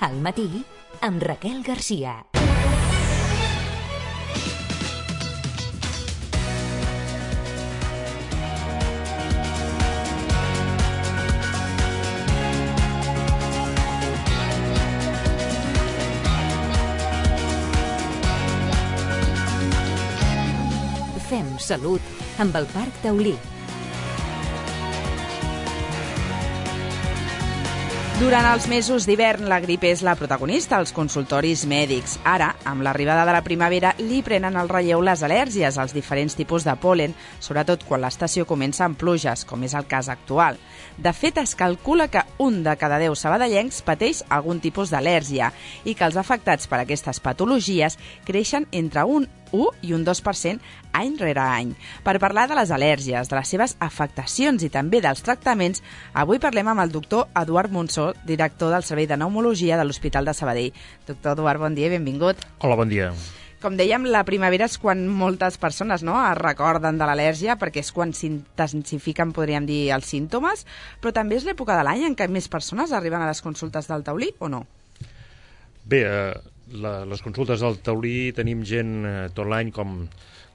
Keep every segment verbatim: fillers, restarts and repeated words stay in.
Al matí, amb Raquel Garcia. Fem salut amb el Parc Taulí. Durant els mesos d'hivern, la grip és la protagonista als consultoris mèdics. Ara, amb l'arribada de la primavera, li prenen el relleu les al·lèrgies als diferents tipus de pol·len, sobretot quan l'estació comença amb pluges, com és el cas actual. De fet, es calcula que un de cada deu sabadellencs pateix algun tipus d'al·lèrgia i que els afectats per aquestes patologies creixen entre un u i un dos per cent any rere any. Per parlar de les al·lèrgies, de les seves afectacions i també dels tractaments, avui parlem amb el doctor Eduard Monsó, director del Servei de Pneumologia de l'Hospital de Sabadell. Doctor Eduard, bon dia i benvingut. Hola, bon dia. Com dèiem, la primavera és quan moltes persones no, es recorden de l'al·lèrgia, perquè és quan s'intensifiquen, podríem dir, els símptomes, però també és l'època de l'any en què més persones arriben a les consultes del taulí, o no? Bé, eh, la, les consultes del taulí tenim gent eh, tot l'any com,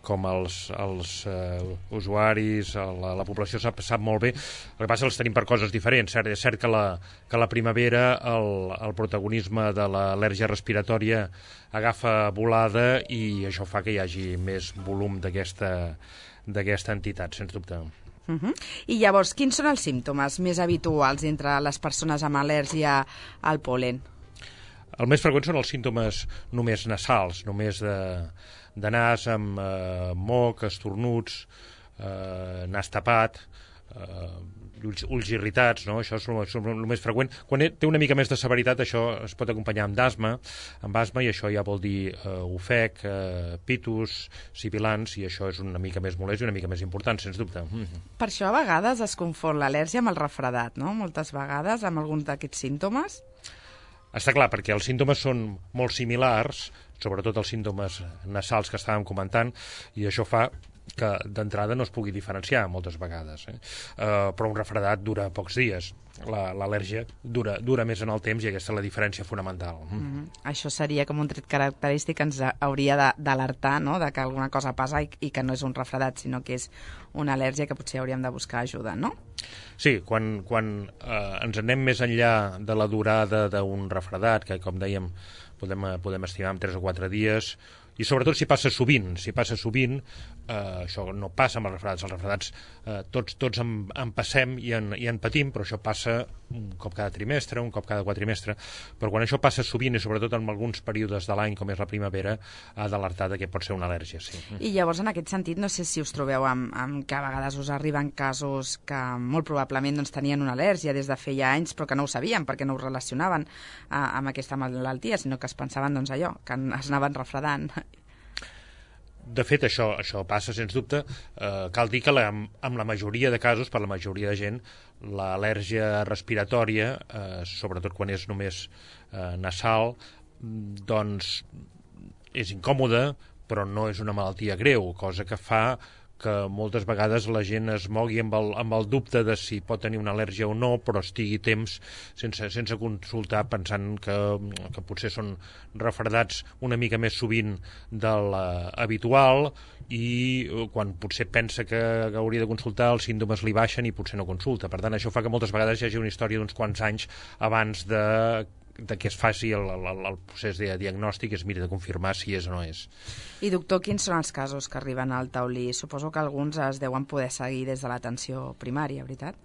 com els, els eh, usuaris, la, la població sap, sap molt bé. El que passa és que els tenim per coses diferents. Cert, és cert que la, que la primavera el, el protagonisme de l'al·lèrgia respiratòria agafa volada i això fa que hi hagi més volum d'aquesta d'aquesta entitat, sens dubte. Uh -huh. I llavors, quins són els símptomes més habituals entre les persones amb al·lèrgia al pol·len? El més freqüent són els símptomes només nasals, només de, de nas amb eh, moc, estornuts, eh, nas tapat, eh, ulls, ulls irritats, no? Això és el, és el més freqüent. Quan té una mica més de severitat, això es pot acompanyar amb asma, amb asma i això ja vol dir eh, ofec, eh, pitus, sibilants, i això és una mica més molest i una mica més important, sens dubte. Mm -hmm. Per això a vegades es confon l'al·lèrgia amb el refredat, no? Moltes vegades amb alguns d'aquests símptomes. Està clar, perquè els símptomes són molt similars, sobretot els símptomes nasals que estàvem comentant, i això fa que d'entrada no es pugui diferenciar moltes vegades. Eh? Uh, però un refredat dura pocs dies. L'al·lèrgia dura, dura més en el temps i aquesta és la diferència fonamental. Mm. Mm-hmm. Això seria com un tret característic que ens hauria d'alertar, no?, de que alguna cosa passa i, i que no és un refredat, sinó que és una al·lèrgia que potser hauríem de buscar ajuda, no? Sí, quan, quan eh, ens anem més enllà de la durada d'un refredat, que com dèiem podem, podem estimar en tres o quatre dies, i sobretot si passa sovint, si passa sovint, eh, això no passa amb els refredats. Els refredats eh, tots, tots en, en passem i en, i en patim, però això passa un cop cada trimestre, un cop cada quatrimestre, però quan això passa sovint i sobretot en alguns períodes de l'any, com és la primavera, ha d'alertar que pot ser una al·lèrgia, sí. I llavors, en aquest sentit, no sé si us trobeu amb, amb que a vegades us arriben casos que molt probablement doncs, tenien una al·lèrgia des de feia anys, però que no ho sabien perquè no ho relacionaven eh, amb aquesta malaltia, sinó que es pensaven doncs, allò, que es anaven refredant. De fet, això, això passa, sens dubte. Eh, cal dir que la, amb la majoria de casos, per la majoria de gent, l'al·lèrgia respiratòria, eh, sobretot quan és només eh, nasal, doncs és incòmoda, però no és una malaltia greu, cosa que fa que moltes vegades la gent es mogui amb el, amb el dubte de si pot tenir una al·lèrgia o no, però estigui temps sense, sense consultar, pensant que, que potser són refredats una mica més sovint de l'habitual i quan potser pensa que hauria de consultar els símptomes li baixen i potser no consulta. Per tant, això fa que moltes vegades hi hagi una història d'uns quants anys abans de de que es faci el, el, el procés de diagnòstic, es miri de confirmar si és o no és. I doctor, quins són els casos que arriben al taulí? Suposo que alguns es deuen poder seguir des de l'atenció primària, veritat?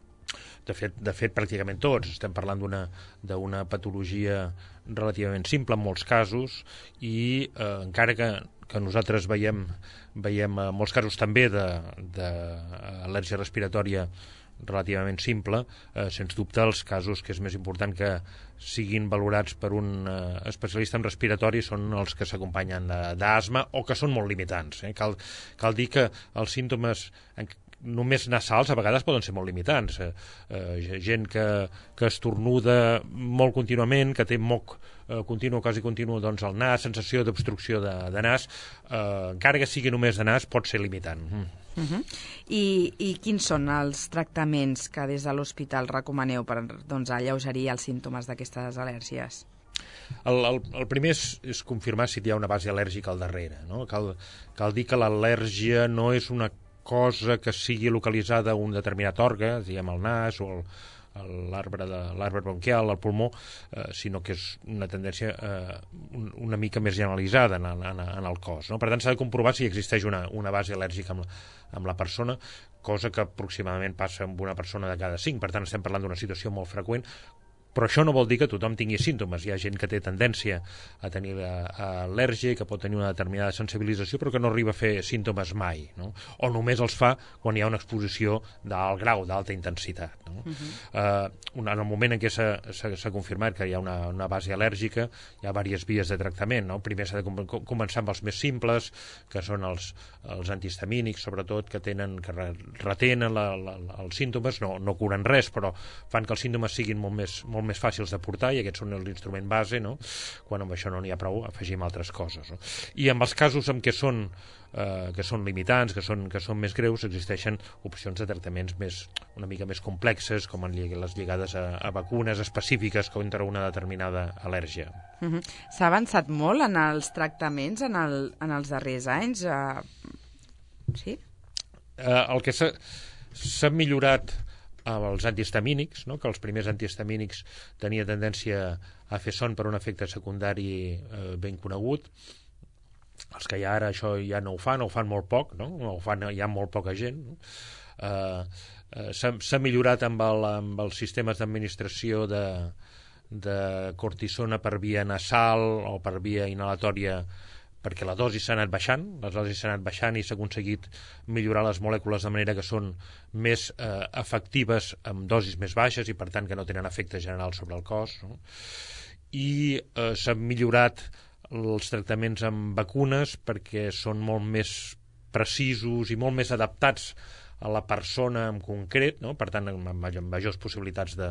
De fet, de fet pràcticament tots. Estem parlant d'una d'una patologia relativament simple en molts casos i eh, encara que, que nosaltres veiem, veiem eh, molts casos també d'al·lèrgia respiratòria relativament simple, eh, sens dubte els casos que és més important que siguin valorats per un eh, especialista en respiratori són els que s'acompanyen d'asma o que són molt limitants. Eh? Cal, cal dir que els símptomes en, només nasals a vegades poden ser molt limitants. Eh, eh, gent que, que estornuda molt contínuament, que té moc eh, continu, quasi continu doncs, al nas, sensació d'obstrucció de, de nas, eh, encara que sigui només de nas, pot ser limitant. Mm. Uh-huh. I, I quins són els tractaments que des de l'hospital recomaneu per doncs, alleugerir els símptomes d'aquestes al·lèrgies? el, el, el primer és, és confirmar si hi ha una base al·lèrgica al darrere, no? Cal, cal dir que l'al·lèrgia no és una cosa que sigui localitzada a un determinat òrgan, diguem el nas o el, l'arbre de l'arbre bronquial, el pulmó, eh, sinó que és una tendència eh, un, una mica més generalitzada en, en, en el cos, no? Per tant, s'ha de comprovar si existeix una, una base al·lèrgica amb la, amb la persona, cosa que aproximadament passa amb una persona de cada cinc. Per tant, estem parlant d'una situació molt freqüent, però això no vol dir que tothom tingui símptomes. Hi ha gent que té tendència a tenir al·lèrgia i que pot tenir una determinada sensibilització, però que no arriba a fer símptomes mai, no? O només els fa quan hi ha una exposició d'alt grau, d'alta intensitat, no? Uh-huh. uh, en el moment en què s'ha confirmat que hi ha una, una base al·lèrgica, hi ha diverses vies de tractament, no? Primer s'ha de com començar amb els més simples, que són els, els antihistamínics, sobretot, que tenen que retenen la, la, els símptomes, no, no curen res, però fan que els símptomes siguin molt més, molt més fàcils de portar, i aquests són l'instrument base, no? Quan amb això no n'hi ha prou, afegim altres coses, no? I amb els casos en què són, eh, que són limitants, que són, que són més greus, existeixen opcions de tractaments més, una mica més complexes, com en les lligades a, a vacunes específiques contra una determinada al·lèrgia. Uh-huh. S'ha avançat molt en els tractaments en, el, en els darrers anys? Uh... Sí? Eh, el que s'ha millorat amb els antihistamínics, no? Que els primers antihistamínics tenia tendència a fer son per un efecte secundari eh, ben conegut. Els que hi ha ara això ja no ho fan, o ho fan molt poc, no? O ho fan ja molt poca gent, no? Eh, eh, s'ha millorat amb, el, amb els sistemes d'administració de, de cortisona per via nasal o per via inhalatòria, perquè la dosi s'ha anat baixant, les dosis s'han anat baixant i s'ha aconseguit millorar les molècules de manera que són més eh, efectives amb dosis més baixes i per tant que no tenen efecte general sobre el cos, no? I eh, s'han millorat els tractaments amb vacunes perquè són molt més precisos i molt més adaptats a la persona en concret, no? Per tant, amb, amb majors possibilitats de,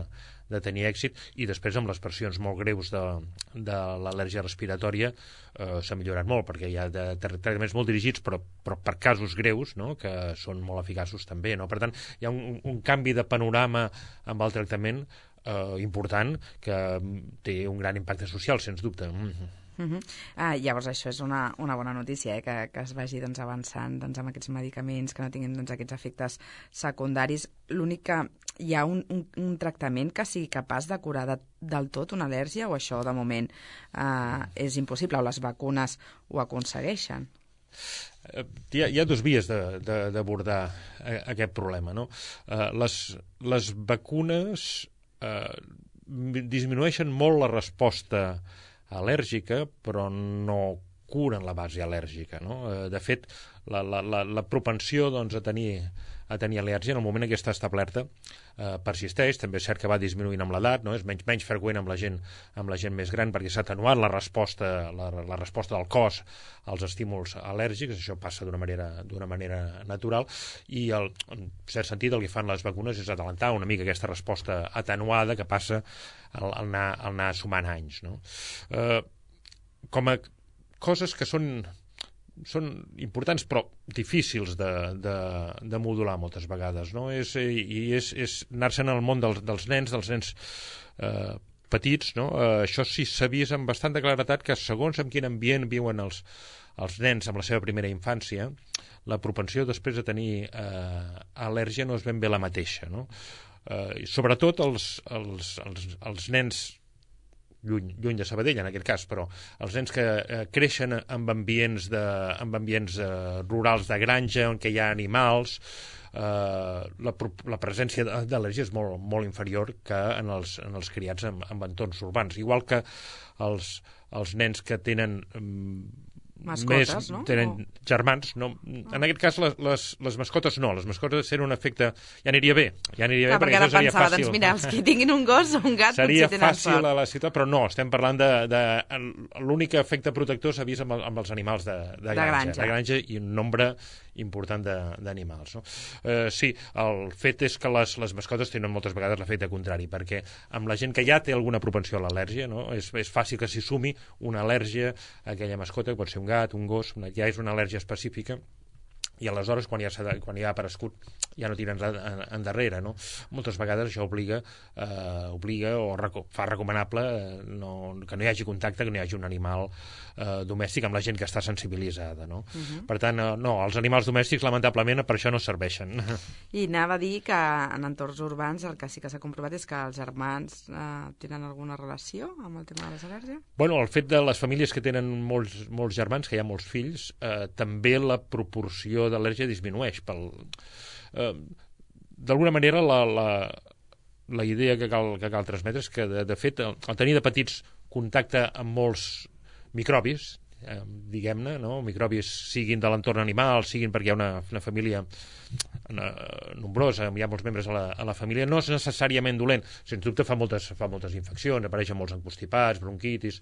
de tenir èxit, i després amb les versions molt greus de, de l'al·lèrgia respiratòria eh, s'ha millorat molt, perquè hi ha de, de tractaments molt dirigits, però, però per casos greus, no? Que són molt eficaços també, no? Per tant, hi ha un, un canvi de panorama amb el tractament eh, important que té un gran impacte social, sens dubte. Mm-hmm. Uh-huh. Ah, llavors això és una, una bona notícia, eh? que, que es vagi doncs, avançant doncs, amb aquests medicaments, que no tinguin doncs, aquests efectes secundaris. L'únic que hi ha un, un, un tractament que sigui capaç de curar de, del tot una al·lèrgia, o això de moment eh, és impossible, o les vacunes ho aconsegueixen? Hi ha, hi ha dues vies d'abordar aquest problema, no? Uh, les, les vacunes uh, disminueixen molt la resposta al·lèrgica, però no curen la base al·lèrgica, no? De fet, la, la, la, la propensió doncs, a tenir, a tenir al·lèrgia en el moment en què està establerta eh, persisteix. També és cert que va disminuint amb l'edat, no? És menys, menys freqüent amb la gent, amb la gent més gran, perquè s'ha atenuat la resposta, la, la resposta del cos als estímuls al·lèrgics. Això passa d'una manera, d'una manera natural, i el, en cert sentit el que fan les vacunes és adelantar una mica aquesta resposta atenuada que passa al, al, anar, al anar sumant anys, no? Eh, com a coses que són, són importants però difícils de, de, de modular moltes vegades, no? És, i és, és anar-se'n al món dels, dels nens, dels nens eh, petits, no? Eh, això sí s'ha vist amb bastanta claretat que segons en quin ambient viuen els, els nens amb la seva primera infància, la propensió després de tenir eh, al·lèrgia no és ben bé la mateixa, no? Eh, sobretot els, els, els, els nens Lluny, lluny de Sabadell, en aquest cas, però els nens que eh, creixen amb ambients, de, amb ambients eh, rurals de granja, on hi ha animals, eh, la, la presència d'al·lèrgia és molt, molt inferior que en els, en els criats en, en entorns urbans. Igual que els, els nens que tenen mascotes, més, no? tenen o... germans, no? En aquest cas les, les, les mascotes no, les mascotes tenen un efecte, ja aniria bé, ja aniria Clar, bé perquè, perquè això seria pensava, fàcil. Doncs mira, els que tinguin un gos o un gat seria potser tenen fàcil sort. a la ciutat, però no, estem parlant de, de l'únic efecte protector s'ha vist amb, el, amb els animals de, de, granja, de granja, de granja i un nombre important d'animals, no? Eh, sí, el fet és que les, les mascotes tenen moltes vegades l'efecte contrari, perquè amb la gent que ja té alguna propensió a l'al·lèrgia, no? és, és fàcil que s'hi sumi una al·lèrgia a aquella mascota, que pot ser un gat, un gos, una, ja és una al·lèrgia específica, i aleshores quan ja, quan ja ha aparegut ja no tiren endarrere, no? Moltes vegades això obliga, eh, obliga o reco fa recomanable eh, no, que no hi hagi contacte, que no hi hagi un animal eh, domèstic amb la gent que està sensibilitzada, no? Uh-huh. Per tant, eh, no, els animals domèstics lamentablement per això no serveixen. I anava a dir que en entorns urbans el que sí que s'ha comprovat és que els germans eh, tenen alguna relació amb el tema de les al·lèrgies? Bueno, el fet de les famílies que tenen molts, molts germans, que hi ha molts fills, eh, també la proporció d'al·lèrgia disminueix pel... Eh, d'alguna manera la, la, la idea que cal, que cal transmetre és que de, de fet el, el tenir de petits contacte amb molts microbis, eh, diguem-ne, no? Microbis siguin de l'entorn animal, siguin perquè hi ha una, una família una, nombrosa, hi ha molts membres a la, a la família, no és necessàriament dolent, sens dubte fa moltes, fa moltes infeccions, apareixen molts encostipats, bronquitis,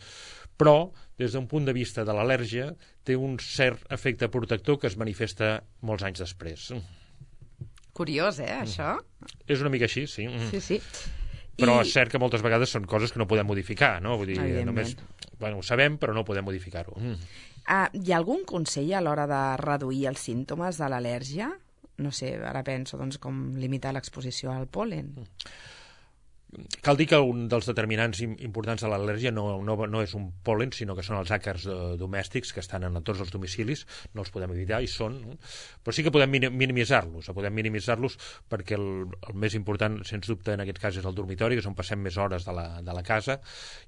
però des d'un punt de vista de l'al·lèrgia té un cert efecte protector que es manifesta molts anys després. Curiós, eh, això? És una mica així, sí. Sí, sí. Però I... és cert que moltes vegades són coses que no podem modificar, no? Vull dir, només... Bueno, ho sabem, però no podem modificar-ho. Mm. Ah, hi ha algun consell a l'hora de reduir els símptomes de l'al·lèrgia? No sé, ara penso, doncs, com limitar l'exposició al pol·len. Mm. Cal dir que un dels determinants importants de l'al·lèrgia no, no, no és un pol·len, sinó que són els àcars eh, domèstics que estan en tots els domicilis, no els podem evitar, i són, no? Però sí que podem minimitzar-los, podem minimitzar-los perquè el, el més important, sens dubte, en aquest cas és el dormitori, que és on passem més hores de la, de la casa,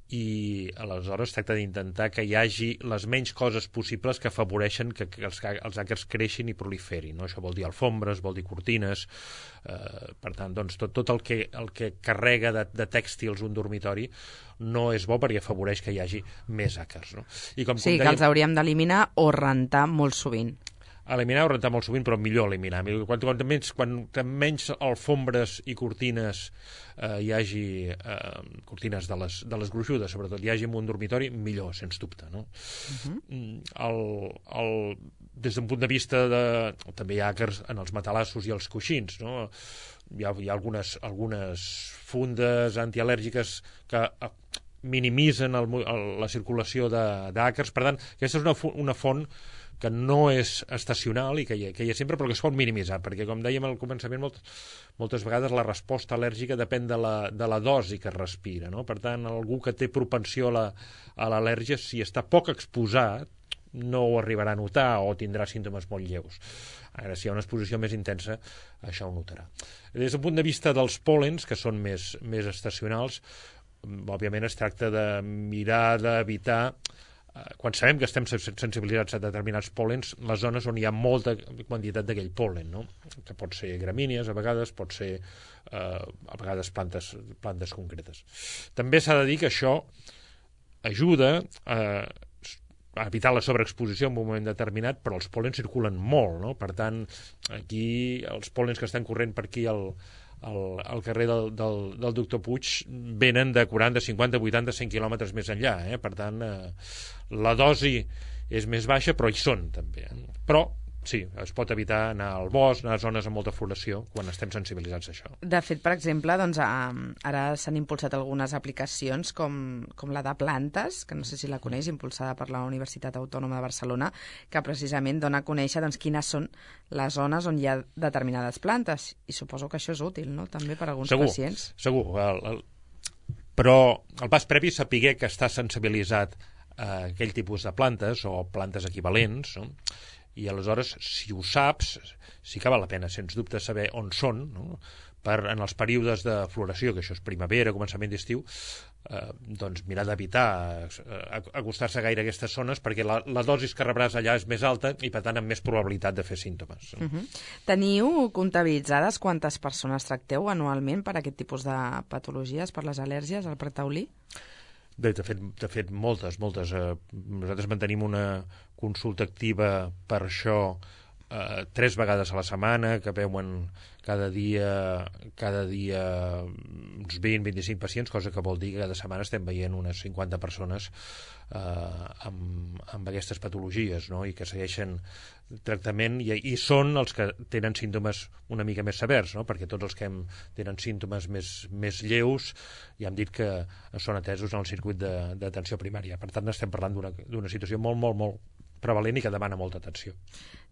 i aleshores tracta d'intentar que hi hagi les menys coses possibles que afavoreixen que, que els, els àcars creixin i proliferin, no? Això vol dir alfombres, vol dir cortines, eh, per tant, doncs, tot, tot el que, el que carrega de, de tèxtils un dormitori no és bo perquè afavoreix que hi hagi més àcars, no? I com, sí, com dèiem, que els hauríem d'eliminar o rentar molt sovint. Eliminar o rentar molt sovint, però millor eliminar. Quan, quan, menys, quan menys alfombres i cortines eh, hi hagi, eh, cortines de les, de les gruixudes, sobretot, hi hagi en un dormitori, millor, sens dubte, no? Uh-huh. el, el, des d'un punt de vista de... També hi ha àcars en els matalassos i els coixins, no? Hi ha, hi ha algunes, algunes fundes antial·lèrgiques que minimitzen el, el, la circulació d'àcars. Per tant, aquesta és una, una font que no és estacional i que hi, ha, que hi ha sempre, però que es pot minimitzar, perquè, com dèiem al començament, molt, moltes vegades la resposta al·lèrgica depèn de la, de la dosi que es respira, no? Per tant, algú que té propensió a l'al·lèrgia, si està poc exposat, no ho arribarà a notar o tindrà símptomes molt lleus. Ara, si hi ha una exposició més intensa, això ho notarà. Des d'un punt de vista dels pòlens, que són més, més estacionals, òbviament es tracta de mirar d'evitar, quan sabem que estem sensibilitzats a determinats pòlens, les zones on hi ha molta quantitat d'aquell pol·len, no? Que pot ser gramínies, a vegades, pot ser eh, a vegades plantes, plantes concretes. També s'ha de dir que això ajuda a, a evitar la sobreexposició en un moment determinat, però els pòlens circulen molt, no? Per tant, aquí els pòlens que estan corrent per aquí al Al, al carrer del, del, del doctor Puig venen de quaranta, cinquanta, vuitanta, cent quilòmetres més enllà, eh? Per tant, eh, la dosi és més baixa, però hi són també, eh? Però sí, es pot evitar anar al bosc, anar a zones amb molta floració, quan estem sensibilitzats a això. De fet, per exemple, doncs, ara s'han impulsat algunes aplicacions com, com la de plantes, que no sé si la coneix, impulsada per la Universitat Autònoma de Barcelona, que precisament dona a conèixer doncs, quines són les zones on hi ha determinades plantes. I suposo que això és útil, no?, també per a alguns segur, pacients. Segur, el, el... però el pas previ és saber que està sensibilitzat a aquell tipus de plantes o plantes equivalents, no? I aleshores, si ho saps, sí que val la pena, sens dubte, saber on són, no? Per, en els períodes de floració, que això és primavera, començament d'estiu, eh, doncs mirar d'evitar eh, acostar-se gaire a aquestes zones, perquè la, la dosis que rebràs allà és més alta i, per tant, amb més probabilitat de fer símptomes. Uh -huh. Teniu comptabilitzades quantes persones tracteu anualment per aquest tipus de patologies, per les al·lèrgies, al Parc Taulí? De, de, fet, de fet, moltes, moltes. Eh, nosaltres mantenim una consulta activa per això eh, tres vegades a la setmana, que veuen cada dia, cada dia uns vint a vint-i-cinc pacients, cosa que vol dir que cada setmana estem veient unes cinquanta persones eh, amb, amb aquestes patologies, no? I que segueixen tractament, i, i són els que tenen símptomes una mica més severs, no? Perquè tots els que hem, tenen símptomes més, més lleus ja hem dit que són atesos en el circuit d'atenció primària. Per tant, estem parlant d'una situació molt, molt, molt prevalent i que demana molta atenció.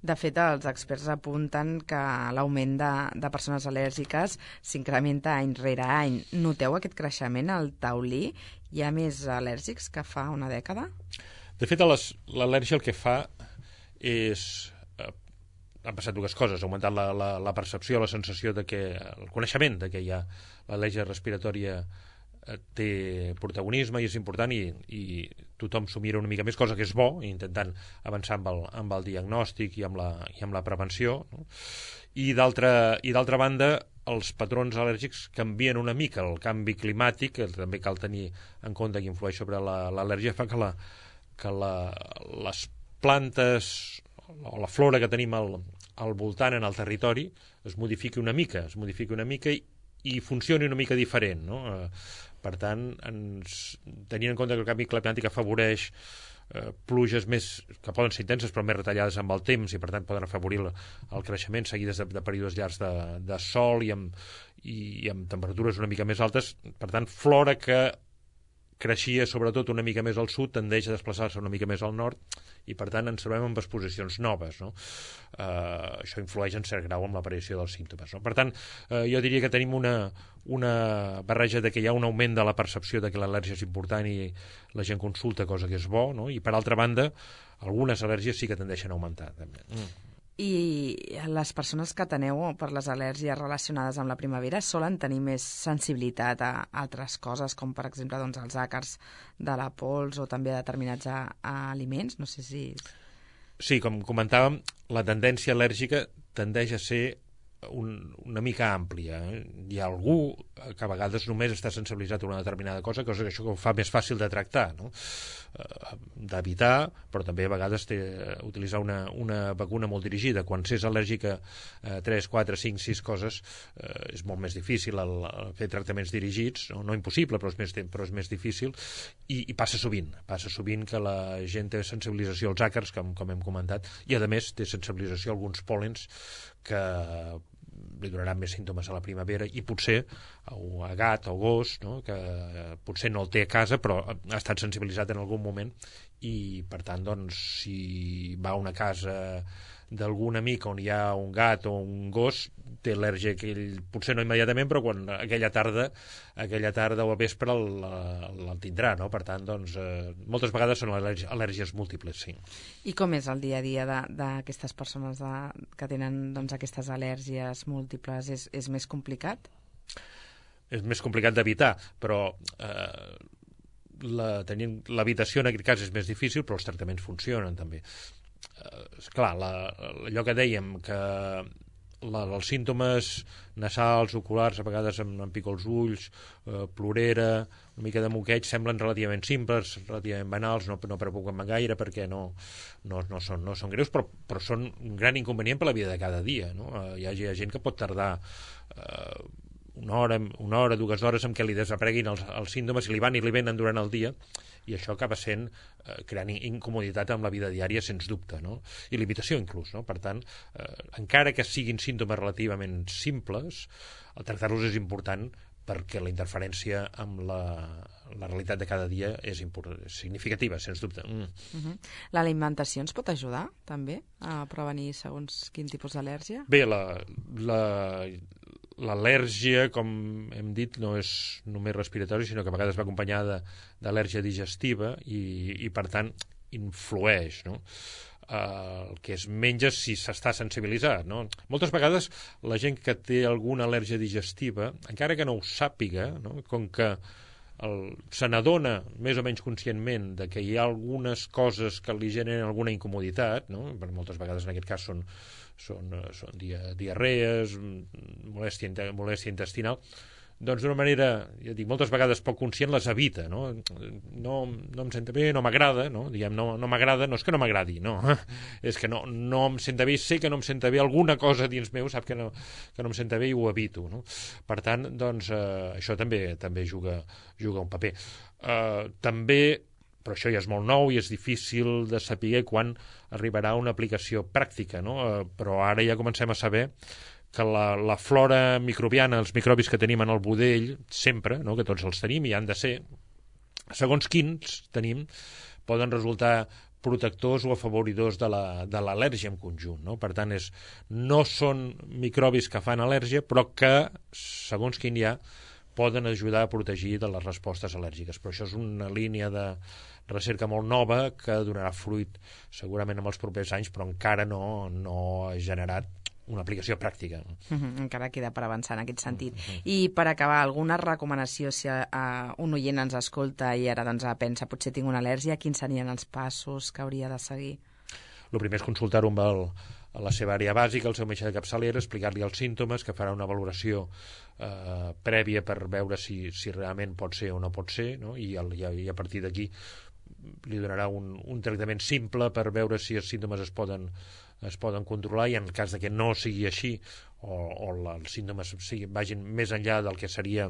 De fet, els experts apunten que l'augment de, de persones al·lèrgiques s'incrementa any rere any. Noteu aquest creixement al taulí? Hi ha més al·lèrgics que fa una dècada? De fet, l'al·lèrgia el que fa és... Eh, han passat dues coses. Ha augmentat la, la, la percepció, la sensació de que... el coneixement de que hi ha l'al·lèrgia respiratòria té protagonisme i és important i, i tothom s'ho mira una mica més, cosa que és bo, intentant avançar amb el, amb el diagnòstic i amb la, i amb la prevenció, no? I d'altra banda, els patrons al·lèrgics canvien una mica. El canvi climàtic, que també cal tenir en compte que influeix sobre l'al·lèrgia, fa que, la, que la, les plantes o la flora que tenim al, al voltant en el territori es modifiqui una mica, es modifiqui una mica i, i funcioni una mica diferent, no? Per tant, ens, tenint en compte que el canvi climàtic afavoreix eh, pluges més, que poden ser intenses però més retallades amb el temps i per tant poden afavorir el, el creixement seguides de, de períodes llargs de, de sol i amb, i, i amb temperatures una mica més altes, per tant, flora que creixia sobretot una mica més al sud tendeix a desplaçar-se una mica més al nord i per tant ens trobem amb exposicions noves, no? Uh, això influeix en cert grau amb l'aparició dels símptomes, no? Per tant, uh, jo diria que tenim una, una barreja de que hi ha un augment de la percepció de que l'al·lèrgia és important i la gent consulta, cosa que és bo, no? I per altra banda, algunes al·lèrgies sí que tendeixen a augmentar també. Mm. I les persones que teneu per les al·lèrgies relacionades amb la primavera solen tenir més sensibilitat a altres coses, com per exemple doncs, els àcars de la pols o també a determinats a, a aliments? No sé si... Sí, com comentàvem, la tendència al·lèrgica tendeix a ser un, una mica àmplia. Eh? Hi ha algú que a vegades només està sensibilitzat a una determinada cosa, cosa que això ho fa més fàcil de tractar, no? Eh, d'evitar, però també a vegades té, utilitzar una, una vacuna molt dirigida. Quan s'és al·lèrgic a eh, tres, quatre, cinc, sis coses, eh, és molt més difícil el, el fer tractaments dirigits, no, no impossible, però és més, però és més difícil, i, i passa sovint. Passa sovint que la gent té sensibilització als àcars, com, com hem comentat, i a més té sensibilització a alguns pòlens que li donaran més símptomes a la primavera i potser a gat o gos, no? Que potser no el té a casa però ha estat sensibilitzat en algun moment i per tant doncs si va a una casa d'algun amic on hi ha un gat o un gos té al·lèrgia que ell potser no immediatament però quan aquella tarda aquella tarda o al vespre el, el, el tindrà, no? Per tant doncs eh, moltes vegades són al·lèrgies, al·lèrgies múltiples, sí. I com és el dia a dia d'aquestes persones de, que tenen doncs, aquestes al·lèrgies múltiples? És, és més complicat? És més complicat d'evitar, però eh, la, tenint l'evitació en aquest cas és més difícil, però els tractaments funcionen també. Eh, esclar, la, allò que dèiem que la, els símptomes nasals, oculars, a vegades em, em pico els ulls, eh, plorera, una mica de moqueig, semblen relativament simples, relativament banals, no, no preocupen gaire perquè no, no, no, són, no són greus, però, però són un gran inconvenient per la vida de cada dia, no? Eh, hi, ha, hi ha gent que pot tardar eh, una hora, una hora, dues hores en què li desapareguin els, els símptomes i li van i li venen durant el dia i això acaba sent eh, creant incomoditat amb la vida diària, sens dubte, no? I limitació inclús, no? Per tant, eh, encara que siguin símptomes relativament simples, el tractar-los és important perquè la interferència amb la, la realitat de cada dia és significativa, sens dubte. Mm. Uh-huh. L'alimentació ens pot ajudar, també, a prevenir segons quin tipus d'al·lèrgia? Bé, la... la l'al·lèrgia, com hem dit, no és només respiratori, sinó que a vegades va acompanyada d'al·lèrgia digestiva i, i per tant, influeix, no? Uh, el que es menja si s'està sensibilitzat, no? Moltes vegades la gent que té alguna al·lèrgia digestiva, encara que no ho sàpiga, no? Com que el, se n'adona més o menys conscientment de que hi ha algunes coses que li generen alguna incomoditat, no? Moltes vegades en aquest cas són són, són dia, diarrees, molèstia, molèstia intestinal, doncs d'una manera, ja dic, moltes vegades poc conscient les evita, no? No, no em senta bé, no m'agrada, no? Diguem, no, no m'agrada, no és que no m'agradi, no, és que no, no em senta bé, sé que no em senta bé, alguna cosa dins meu sap que no, que no em senta bé i ho evito, no? Per tant, doncs, eh, això també també juga, juga un paper. Eh, també però això ja és molt nou i és difícil de saber quan arribarà una aplicació pràctica, no? Eh, però ara ja comencem a saber que la, la flora microbiana, els microbis que tenim en el budell, sempre, no? Que tots els tenim i han de ser, segons quins tenim, poden resultar protectors o afavoridors de la- de l'al·lèrgia en conjunt, no? Per tant, és, no són microbis que fan al·lèrgia, però que, segons quin hi ha, poden ajudar a protegir de les respostes al·lèrgiques. Però això és una línia de recerca molt nova que donarà fruit segurament en els propers anys, però encara no, no ha generat una aplicació pràctica. Uh -huh, encara queda per avançar en aquest sentit. Uh -huh. I per acabar, alguna recomanació si uh, un oient ens escolta i ara doncs, pensa potser tinc una al·lèrgia, quins serien els passos que hauria de seguir? El primer és consultar-ho amb el, a la seva àrea bàsica, el seu metge de capçalera, explicar-li els símptomes, que farà una valoració eh, prèvia per veure si, si realment pot ser o no pot ser, no? I, el, i, a, i a partir d'aquí li donarà un, un tractament simple per veure si els símptomes es poden, es poden controlar, i en el cas de que no sigui així o, o la, els símptomes siguin, vagin més enllà del que seria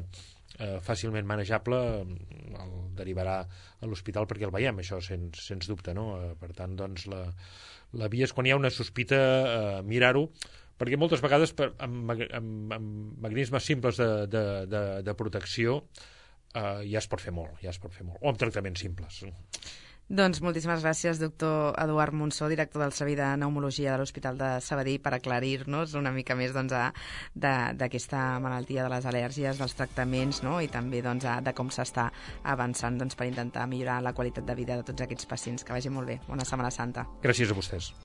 eh, fàcilment manejable, el derivarà a l'hospital perquè el veiem, això sens, sens dubte, no? Eh, per tant, doncs, la, la via és quan hi ha una sospita eh, mirar-ho, perquè moltes vegades per, amb, amb, amb mecanismes simples de, de, de, de protecció eh, ja es pot fer molt, ja es pot fer molt, o amb tractaments simples. Doncs moltíssimes gràcies, doctor Eduard Monsó, director del Servei de Pneumologia de l'Hospital de Sabadell, per aclarir-nos una mica més doncs, d'aquesta malaltia de les al·lèrgies, dels tractaments, no? I també doncs, a, de com s'està avançant doncs, per intentar millorar la qualitat de vida de tots aquests pacients. Que vagi molt bé. Bona Setmana Santa. Gràcies a vostès.